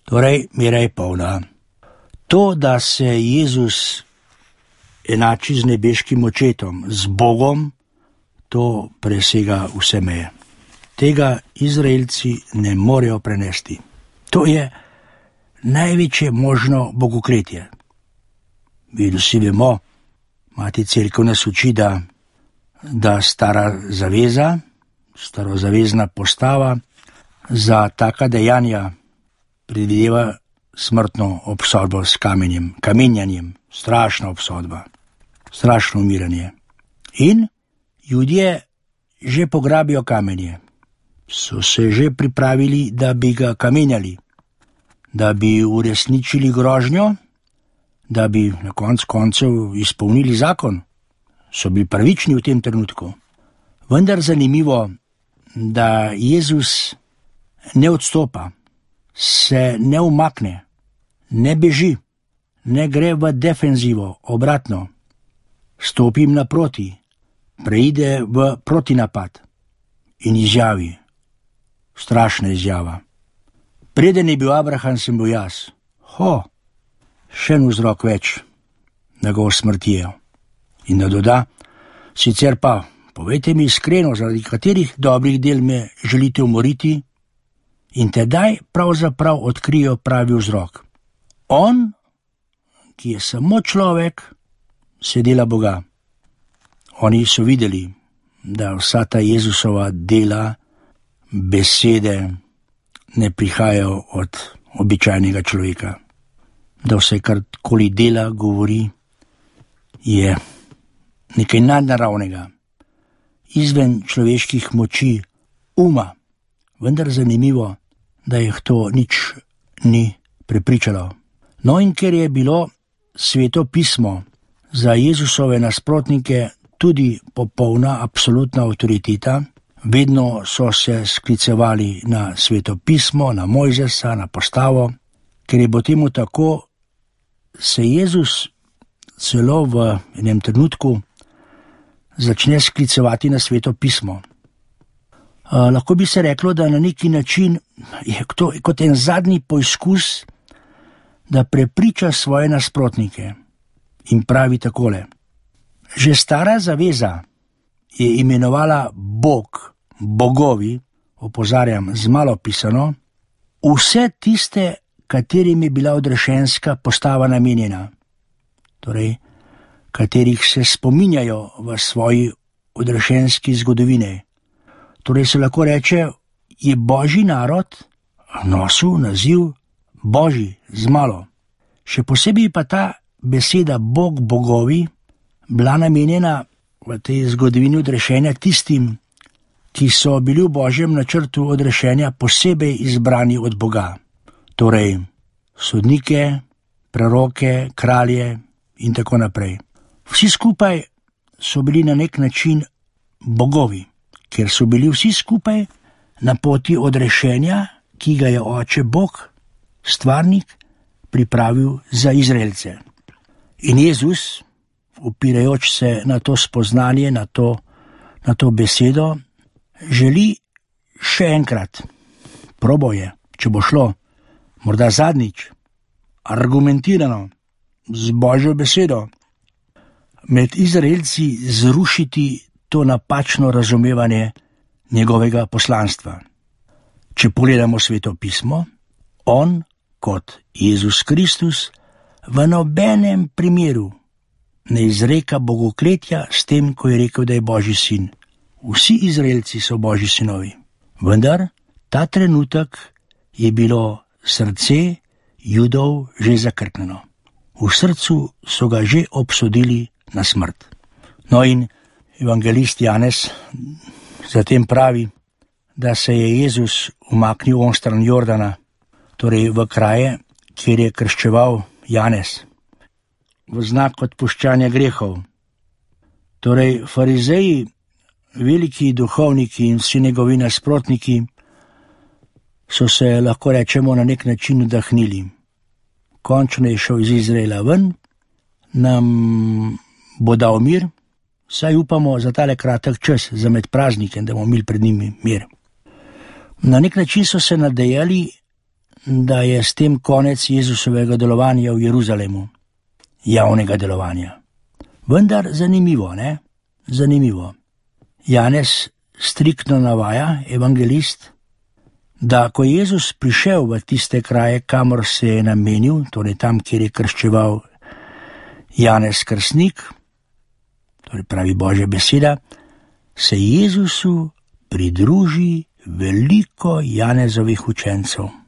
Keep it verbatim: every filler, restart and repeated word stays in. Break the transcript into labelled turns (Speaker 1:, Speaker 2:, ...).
Speaker 1: Torej, mera je polna. To, da se Jezus enači z nebeškim očetom, z Bogom, to presega vse meje. Tega Izraelci ne morejo prenesti. To je največje možno bogokletje. Mi vsi vemo, Mati Cerkev nas uči, da, da stara zaveza, starozavezna postava za taka dejanja predvideva smrtno obsodbo s kamenjem, kamenjanjem, strašna obsodba, strašno umiranje. In Judje že pograbijo kamenje. So se že pripravili, da bi ga kamenjali, da bi uresničili grožnjo, da bi na konc koncev izpolnili zakon. So bili pravični v tem trenutku. Vendar zanimivo, da Jezus ne odstopa, se ne umakne, ne beži, ne gre v defenzivo, obratno. Stopim naproti, preide v protinapad in izjavi, strašna izjava. Preden je bil Abraham, sem bil jaz. Ho, še en vzrok več, da ga usmrtijo. In da doda, sicer pa, povejte mi iskreno, zaradi katerih dobrih del me želite umoriti, in tedaj pravzaprav odkrijo pravi vzrok. On, ki je samo človek, se dela Boga. Oni so videli, da vsa ta Jezusova dela, besede ne prihajajo od običajnega človeka. Da vse, karkoli dela, govori, je nekaj nadnaravnega, izven človeških moči, uma. Vendar zanimivo, da jih to nič ni prepričalo. No, in ker je bilo Sveto pismo za Jezusove nasprotnike tudi popolna, absolutna avtoriteta, vedno so se sklicevali na Sveto pismo, na Mojzesa, na postavo. Ker je bo temu tako, se Jezus celo v enem trenutku začne sklicevati na Sveto pismo. Uh, lahko bi se reklo, da na neki način je to kot en zadnji poizkus, da prepriča svoje nasprotnike in pravi takole. Že stara zaveza je imenovala Bog, bogovi, opozarjam, z malo pisano, vse tiste, katerim je bila odrešenska postava namenjena, torej, katerih se spominjajo v svoji odrešenski zgodovini. Torej se lahko reče, je Božji narod nosil naziv Božji z malo. Še posebej pa ta beseda Bog, bogovi, bila namenjena v tej zgodovini odrešenja tistim, ki so bili v Božjem načrtu odrešenja posebej izbrani od Boga. Torej, sodnike, preroke, kralje in tako naprej. Vsi skupaj so bili na nek način bogovi, ker so bili vsi skupaj na poti odrešenja, ki ga je Oče Bog, stvarnik, pripravil za Izraelce. In Jezus, opirajoč se na to spoznanje, na to, na to besedo, želi še enkrat, proboje, če bo šlo, morda zadnjič, argumentirano, z Božjo besedo, med Izraelci zrušiti to napačno razumevanje njegovega poslanstva. Če pogledamo Sveto pismo, on kot Jezus Kristus v nobenem primeru ne izreka bogokletja s tem, ko je rekel, da je Božji sin. Vsi Izraelci so Božji sinovi. Vendar ta trenutek je bilo srce Judov že zakrknjeno. V srcu so ga že obsodili na smrt. No, in evangelist Janez zatem pravi, da se je Jezus umaknil onstran Jordana, torej v kraje, kjer je krščeval Janez, v znak odpuščanja grehov. Torej, farizeji, veliki duhovniki in vsi njegovi nasprotniki so se, lahko rečemo, na nek način vdahnili. Končno je šel iz Izraela ven, nam bo dal mir, saj upamo za tale kratek čas, za med praznikem, da bomo imeli pred njimi mir. Na nek način so se nadejali da je s tem konec Jezusovega delovanja v Jeruzalemu, javnega delovanja. Vendar zanimivo, ne? Zanimivo. Janez striktno navaja, evangelist, da ko je Jezus prišel v tiste kraje, kamor se je namenil, torej tam, kjer je krščeval Janez Krstnik, torej pravi Božja beseda, se Jezusu pridruži veliko Janezovih učencev.